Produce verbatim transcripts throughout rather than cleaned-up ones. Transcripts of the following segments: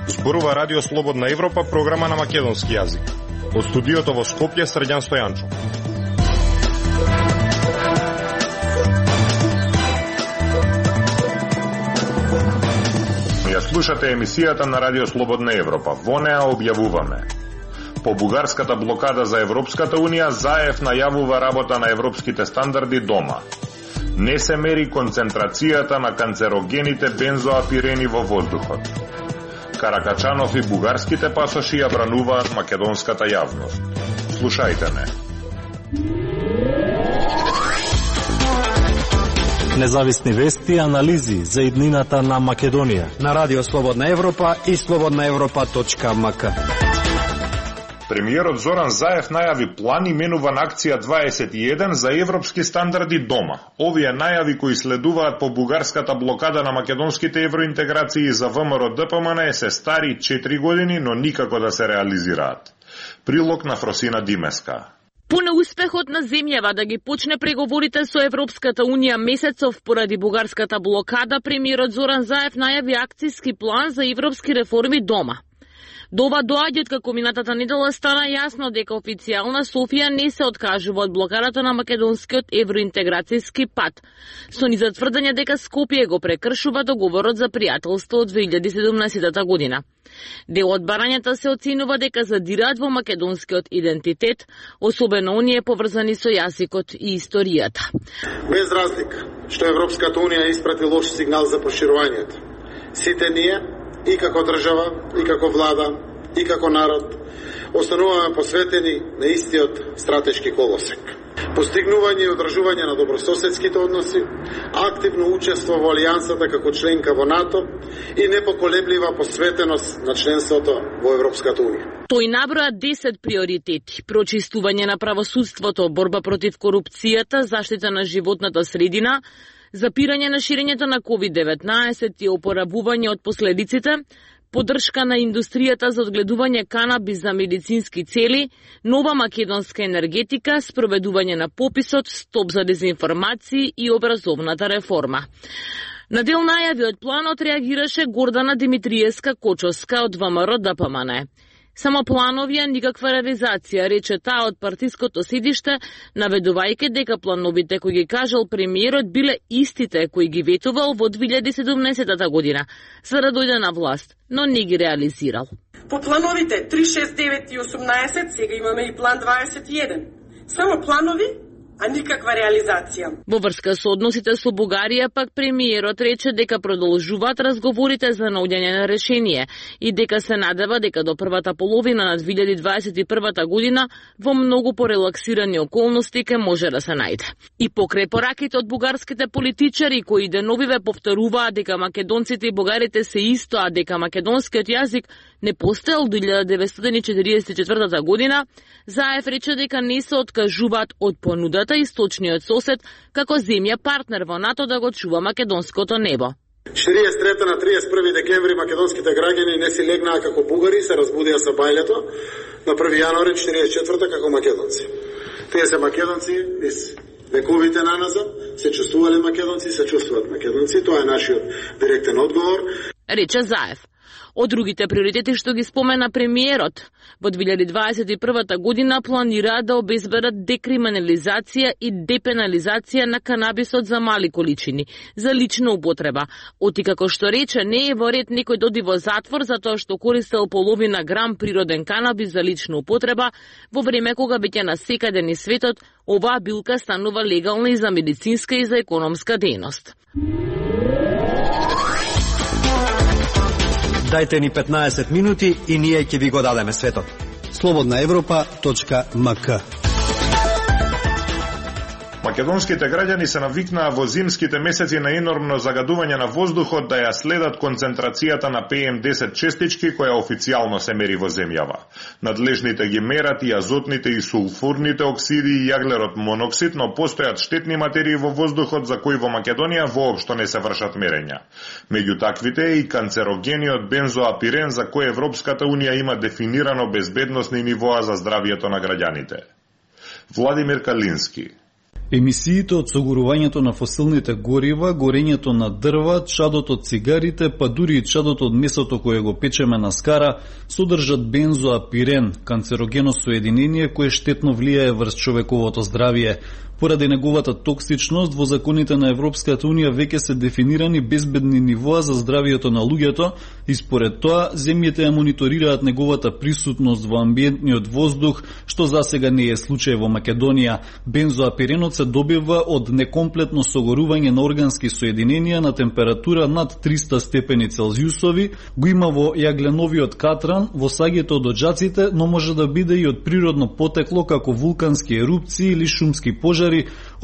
Зборува Радио Слободна Европа, програма на македонски јазик. Од студиото во Скопје, Срđan Стојанчо. Ја слушате емисијата на Радио Слободна Европа. Во неа објавуваме: по бугарската блокада за Европската Унија, ЗАЕФ најавува работа на европските стандарди дома. Не се мери концентрацијата на канцерогените бензоапирени во воздухот. Каракачанов и бугарските пасоши ја брануваат македонската јавност. Слушајте не. Независни вести и анализи за иднината на Македонија на Радио Слободна Европа и слободна европа точка ем ка. Премиерот Зоран Заев најави план именуван акција дваесет и еден за европски стандарди дома. Овие најави кои следуваат по бугарската блокада на македонските евроинтеграции за ВМРО Д П М Н се стари четири години, но никако да се реализираат. Прилог на Фросина Димеска. По неуспехот на земјава да ги почне преговорите со Европската Унија месецов поради бугарската блокада, премиерот Зоран Заев најави акцијски план за европски реформи дома. До ова доаѓа како минатата недела стана јасно дека официјална Софија не се откажува од блокадата на македонскиот евроинтеграцијски пат, со низа тврдење дека Скопје го прекршува договорот за пријателство од две илјади и седумнаесета година. Дел од барањата се оценува дека задираат во македонскиот идентитет, особено оние поврзани со јазикот и историјата. Без разлика што Европската Унија испрати лош сигнал за проширувањето, сите ние и како држава, и како влада, и како народ, остануваме посветени на истиот стратешки колосек. Постигнување и одржување на добрососедските односи, активно учество во алијансата како членка во НАТО и непоколеблива посветеност на членството во Европската Унија. Тој наброја десет приоритети: прочистување на правосудството, борба против корупцијата, заштита на животната средина, запирање на ширењето на ковид деветнаесет и опоравување од последиците, поддршка на индустријата за одгледување канабис за медицински цели, нова македонска енергетика, спроведување на пописот, стоп за дезинформации и образовната реформа. На дел најави од планот реагираше Гордана Димитриевска Кочовска од В М Р Д П М Н. Само плановија, никаква реализација, рече таа од партиското седиште, наведувајќи дека плановите кои ги кажал премиерот биле истите кои ги ветувал во две илјади и седумнаесета година, за да дојде на власт, но не ги реализирал. По плановите три, шест, девет и осумнаесет, сега имаме и план дваесет и еден. Само планови, а никаква реализација. Во врска со односите со Бугарија, пак премиерот рече дека продолжуваат разговорите за наоѓање на решение и дека се надева дека до првата половина на две илјади дваесет и прва година во многу порелаксирани околности ке може да се најде. И покрај пораките од бугарските политичари кои деновиве повторуваат дека македонците и бугарите се исто, а дека македонскиот јазик не постоел до илјада деветстотини и четиридесет и четврта година, Заев рече дека не се откажуваат од понудата источниот сосед како земја партнер во НАТО да го чува македонското небо. четириесет и трета на триесет и први декември македонските граѓани не си легнаа како бугари, се разбудија со бајлето, на први јануари четириесет и четврта како македонци. Тие се македонци из вековите наназад, се чувствувале македонци, се чувствуваат македонци, тоа е нашиот директен одговор. Рече Заев. Од другите приоритети што ги спомена премиерот, во две илјади дваесет и прва година планираат да обезбедат декриминализација и депенализација на канабисот за мали количини, за лична употреба. Оти како што рече, не е во ред некој доди во затвор за тоа што користел половина грам природен канабис за лична употреба, во време кога веќе на секаде низ светот оваа билка станува легална и за медицинска и за економска дејност. Дајте ни петнаесет минути и ние ќе ви го дадеме светот. слободна европа точка ем ка. Македонските граѓани се навикнаа во зимските месеци на енормно загадување на воздухот да ја следат концентрацијата на П М десет честички која официјално се мери во земјава. Надлежните ги мерат и азотните и сулфурните оксиди и јаглерот моноксид, но постојат штетни материи во воздухот за кои во Македонија воопшто не се вршат мерења. Меѓу таквите е и канцерогениот бензоапирен за кој Европската Унија има дефинирано безбедносни нивоа за здравието на граѓаните. Владимир Калински. Емисиите од согорувањето на фосилните горива, горењето на дрва, чадот од цигарите, па дури и чадот од месото кое го печеме на скара, содржат бензоапирен, канцерогено соединение кое штетно влијае врз човековото здравје. Поради неговата токсичност, во законите на Европската Унија веќе се дефинирани безбедни нивоа за здравието на луѓето и според тоа земјите ја мониторираат неговата присутност во амбиентниот воздух, што засега не е случај во Македонија. Бензоапиренот се добива од некомплетно согорување на органски соединенија на температура над триста степени Целзиусови, го има во јагленовиот катран, во саѓето од оджаците, но може да биде и од природно потекло како вулкански ерупции или шумски пожари,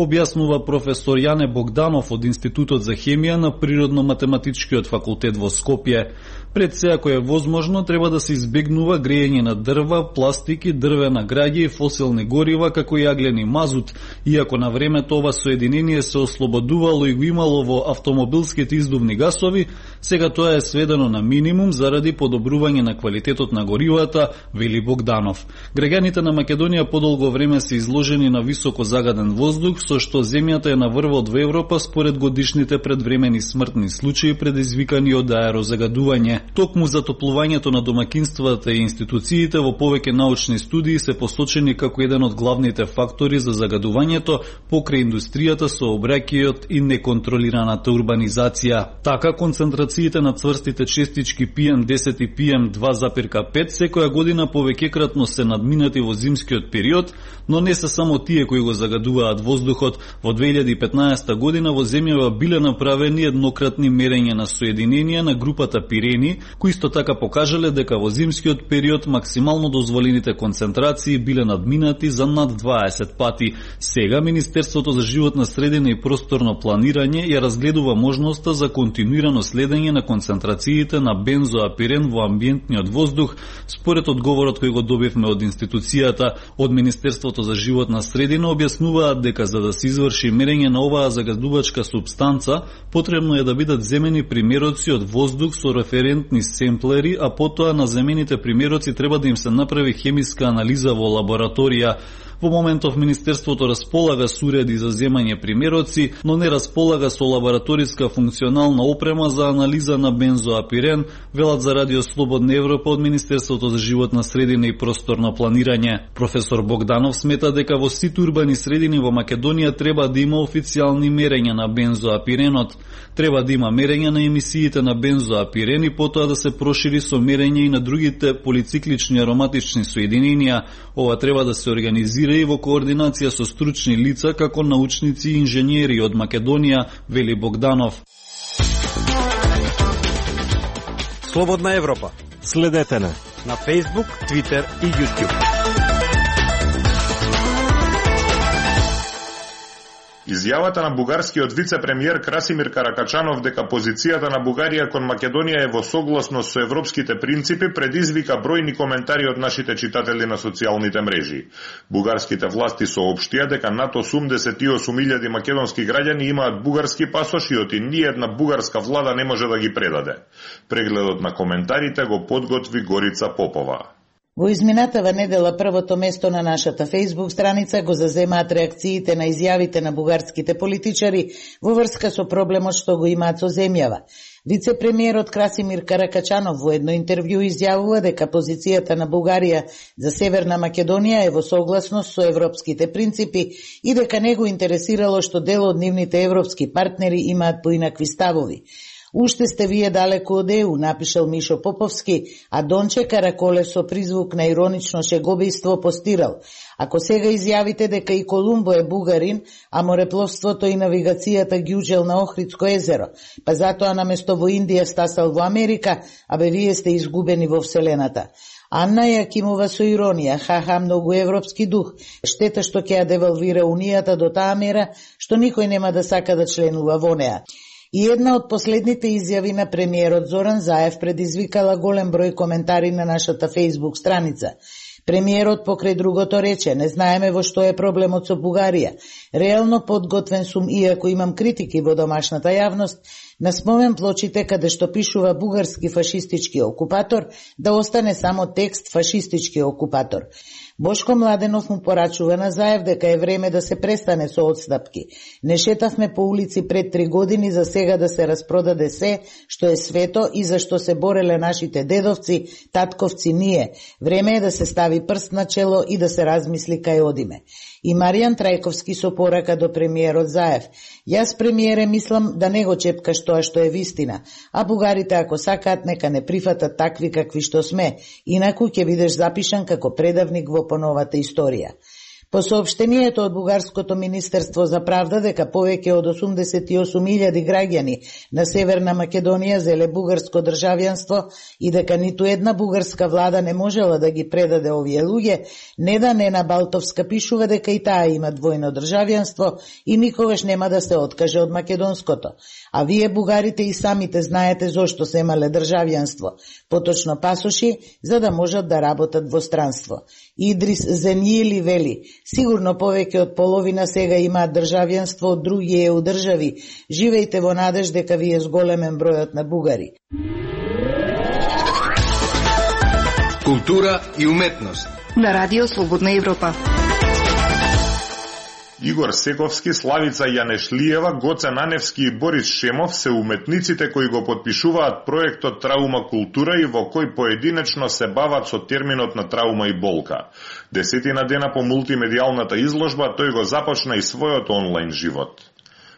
објаснува професор Јане Богданов од Институтот за хемија на Природно-математичкиот факултет во Скопје. Пред се, ако е возможно, треба да се избегнува грејење на дрва, пластики, дрвена граѓа и фосилни горива, како и јаглени мазут, иако на времето ова соединение се ослободувало и го имало во автомобилските издувни гасови, сега тоа е сведено на минимум заради подобрување на квалитетот на горивата, вели Богданов. Граѓаните на Македонија подолго време се изложени на високо загаден воздух, со што земјата е на врвот во Европа според годишните предвремени смртни случаи предизвикани од аерозагадување. Токму затоплувањето на домакинствата и институциите во повеќе научни студии се посочени како еден од главните фактори за загадувањето покрај индустријата, сообраќајот и неконтролираната урбанизација. Така, концентрациите на цврстите честички пи ем десет и пи ем два запирка пет секоја година повеќекратно се надминати во зимскиот период, но не се само тие кои го загадуваат воздухот. Во две илјади и петнаесета година во земјава биле направени еднократни мерења на соединенија на групата пирени, кои исто така покажале дека во зимскиот период максимално дозволените концентрации биле надминати за над дваесет пати. Сега Министерството за животна средина и просторно планирање ја разгледува можноста за континуирано следење на концентрациите на бензоапирен во амбиентниот воздух, според одговорот кој го добивме од институцијата. Од Министерството за животна средина објаснуваат дека за да се изврши мерење на оваа загадувачка супстанца, потребно е да бидат земени примероци од воздух со референтни семплери, а потоа на земените примероци треба да им се направи хемиска анализа во лабораторија. Во моментов Министерството располага со уреди за земање примероци, но не располага со лабораториска функционална опрема за анализа на бензоапирен, велат за Радио Слободна Европа од Министерството за животна средина и просторно планирање. Професор Богданов смета дека во сите урбани средини во Македонија треба да има официјални мерења на бензоапиренот. Треба да има мерење на емисиите на бензоапирен и потоа да се прошири со мерење и на другите полициклични ароматични соединенија. Ова треба да се организира и во координација со стручни лица како научници и инженери од Македонија, вели Богданов. Слободна Европа. Следете на на Facebook, Twitter и YouTube. Изјавата на бугарскиот вице-премиер Красимир Каракачанов дека позицијата на Бугарија кон Македонија е во согласност со европските принципи предизвика бројни коментари од нашите читатели на социјалните мрежи. Бугарските власти соопштија дека над осумдесет и осум илјади македонски граѓани имаат бугарски пасоши и ниедна бугарска влада не може да ги предаде. Прегледот на коментарите го подготви Горица Попова. Во изминатава недела првото место на нашата Facebook страница го заземаат реакциите на изјавите на бугарските политичари во врска со проблемот што го имаат со земјава. Вице-премиерот Красимир Каракачанов во едно интервју изјавува дека позицијата на Бугарија за Северна Македонија е во согласност со европските принципи и дека не го интересирало што дел од нивните европски партнери имаат поинакви ставови. Уште сте вие далеко од Е У, напишал Мишо Поповски, а Донче Караколе со призвук на иронично шегобијство постирал. Ако сега изјавите дека и Колумбо е бугарин, а морепловството и навигацијата ги учел на Охридско езеро, па затоа наместо во Индија стасал во Америка, абе вие сте изгубени во Вселената. Анна Јакимова со иронија, ха-ха, многу европски дух, штета што ќе ја девалвира Унијата до таа мера, што никој нема да сака да членува во неа. И една од последните изјави на премиерот Зоран Заев предизвикала голем број коментари на нашата Facebook страница. Премиерот покрај другото рече: не знаеме во што е проблемот со Бугарија. Реално подготвен сум, иако имам критики во домашната јавност, На спомен плочите каде што пишува бугарски фашистички окупатор, да остане само текст фашистички окупатор. Бошко Младенов му порачува на Заев дека е време да се престане со одстапки. Не шетавме по улици пред три години за сега да се распродаде се што е свето и за што се бореле нашите дедовци, татковци, ние. Време е да се стави прст на чело и да се размисли кај одиме. И Маријан Трајковски со порака до премиерот Заев. Јас, премиере, мислам да не го чепкаш тоа што е вистина, а бугарите ако сакаат нека не прифатат такви какви што сме, инаку ќе бидеш запишан како предавник во поновата историја. По соопштението од Бугарското министерство за правда дека повеќе од осумдесет и осум илјади граѓани на Северна Македонија зеле бугарско државјанство и дека ниту една бугарска влада не можела да ги предаде овие луѓе, Неда Нена Балтовска пишува дека и таа има двојно државјанство и никогаш нема да се откаже од македонското. А вие бугарите и самите знаете зошто се имале државјанство, поточно пасоши, за да можат да работат во странство. Идрис Зенјили вели: сигурно повеќе од половина сега имаат државјанство од други е у држави. Живејте во надеж дека ви е зголемен бројот на бугари. Култура и уметност на Радио Слободна Европа. Игор Сековски, Славица Јанешлиева, Гоце Наневски и Борис Шемов се уметниците кои го подпишуваат проектот Траума култура и во кој поединечно се бават со терминот на траума и болка. Десетина дена по мултимедијалната изложба тој го започна и својот онлайн живот.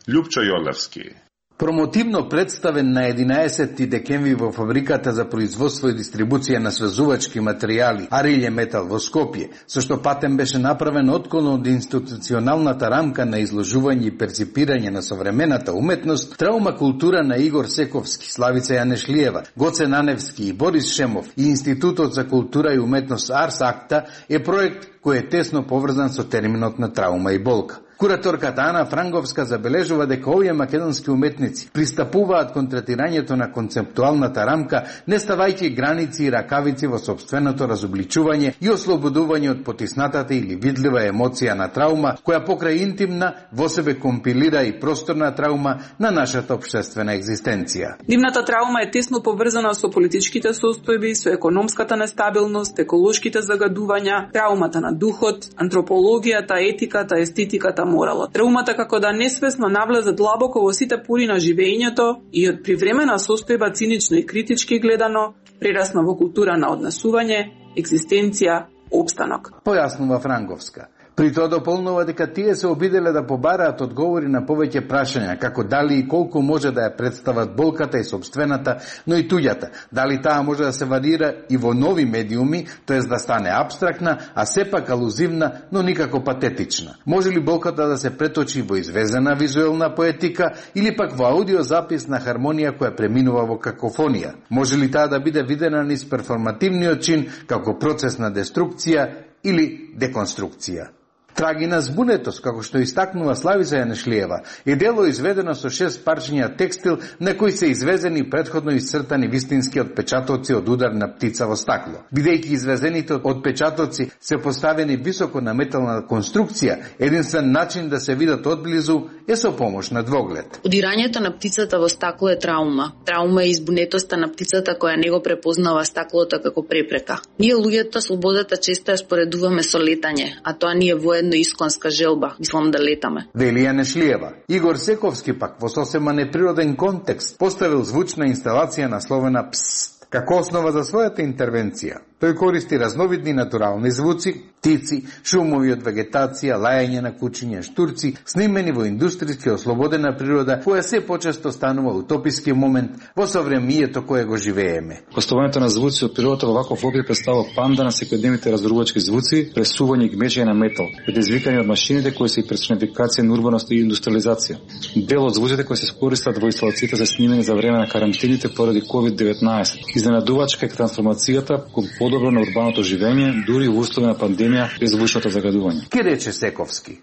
Љупчо Јолевски. Промотивно представен на единаесетти декември во фабриката за производство и дистрибуција на свезувачки материјали Арилје Метал во Скопје, со што патен беше направен отклон од институционалната рамка на изложување и перципирање на современата уметност, Траума култура на Игор Сековски, Славица Јанешлиева, Гоце Наневски и Борис Шемов и Институтот за култура и уметност Арс Акта е проект кој е тесно поврзан со терминот на траума и болка. Кураторката Ана Франговска забележува дека овие македонски уметници пристапуваат кон третирањето на концептуалната рамка, не ставајќи граници и ракавици во сопственото разобличување и ослободување од потиснатата или видлива емоција на траума, која покрај интимна во себе компилира и просторна траума на нашата општествена екзистенција. Дивната траума е тесно поврзана со политичките состојби, со економската нестабилност, еколошките загадувања, траумата на духот, антропологијата, етиката, естетиката, моралот. Траумата како да несвесно навлезе длабоко во сите пори на живењето и од привремена состојба цинично и критички гледано, прерасна во култура на однесување, екзистенција, опстанок. Појаснува Франговска. При тоа дополнува дека тие се обиделе да побараат одговори на повеќе прашања, како дали и колку може да ја представат болката и собствената, но и туѓата, дали таа може да се варира и во нови медиуми, тоест да стане абстрактна, а сепак алузивна, но никако патетична. Може ли болката да се преточи во извезена визуелна поетика или пак во аудиозапис на хармонија која преминува во какофонија? Може ли таа да биде видена низ перформативниот чин како процес на деструкција или деконструкција? Трагина збунетост, како што истакнува Славица Јанешлиева, е дело изведено со шест парчиња текстил на кои се извезени предходно исцртани вистински отпечатоци од удар на птица во стакло. Бидејќи извезените отпечатоци се поставени високо на метална конструкција, единствен начин да се видат одблизу е со помош на двоглед. Удирањето на птицата во стакло е траума. Траума е избунетоста на птицата која не го препознава стаклото како препрека. Ние луѓето слободата често ја споредуваме со летање, а тоа ни е воедно исконска желба, мислам да летаме. Вели Јанешлиева. Игор Сековски пак во сосема неприроден контекст поставил звучна инсталација насловена Псст како основа за својата интервенција. Тој користи разновидни натурални звуци, птици, шумови од вегетација, лајање на кучиња, штурци, снимени во индустријски ослободена природа, која се почесто станува утописки момент во совремието кое го живееме. Гостувањето на звуци од природата во ваков обир представува панда на секојдневните разрувачки звуци, пресување и гмеџење на метал, предизвикани од машините кои се и персонификација на урбаност и индустриализација. Дел од звуците кои се користат во инсталациите за снимени за време на карантините поради ковид деветнаесет. Изненадувачка е трансформацијата кон подобро на урбаното живење, дури во услови на пандемија без звучното загадување. Ке рече Сековски.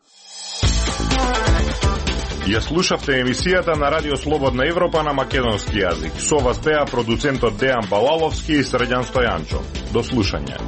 Ја слушавте емисијата на Радио Слободна Европа на македонски јазик. Со вас беа продуцентот Дејан Балаловски и Срđan Стојанчов. До слушање.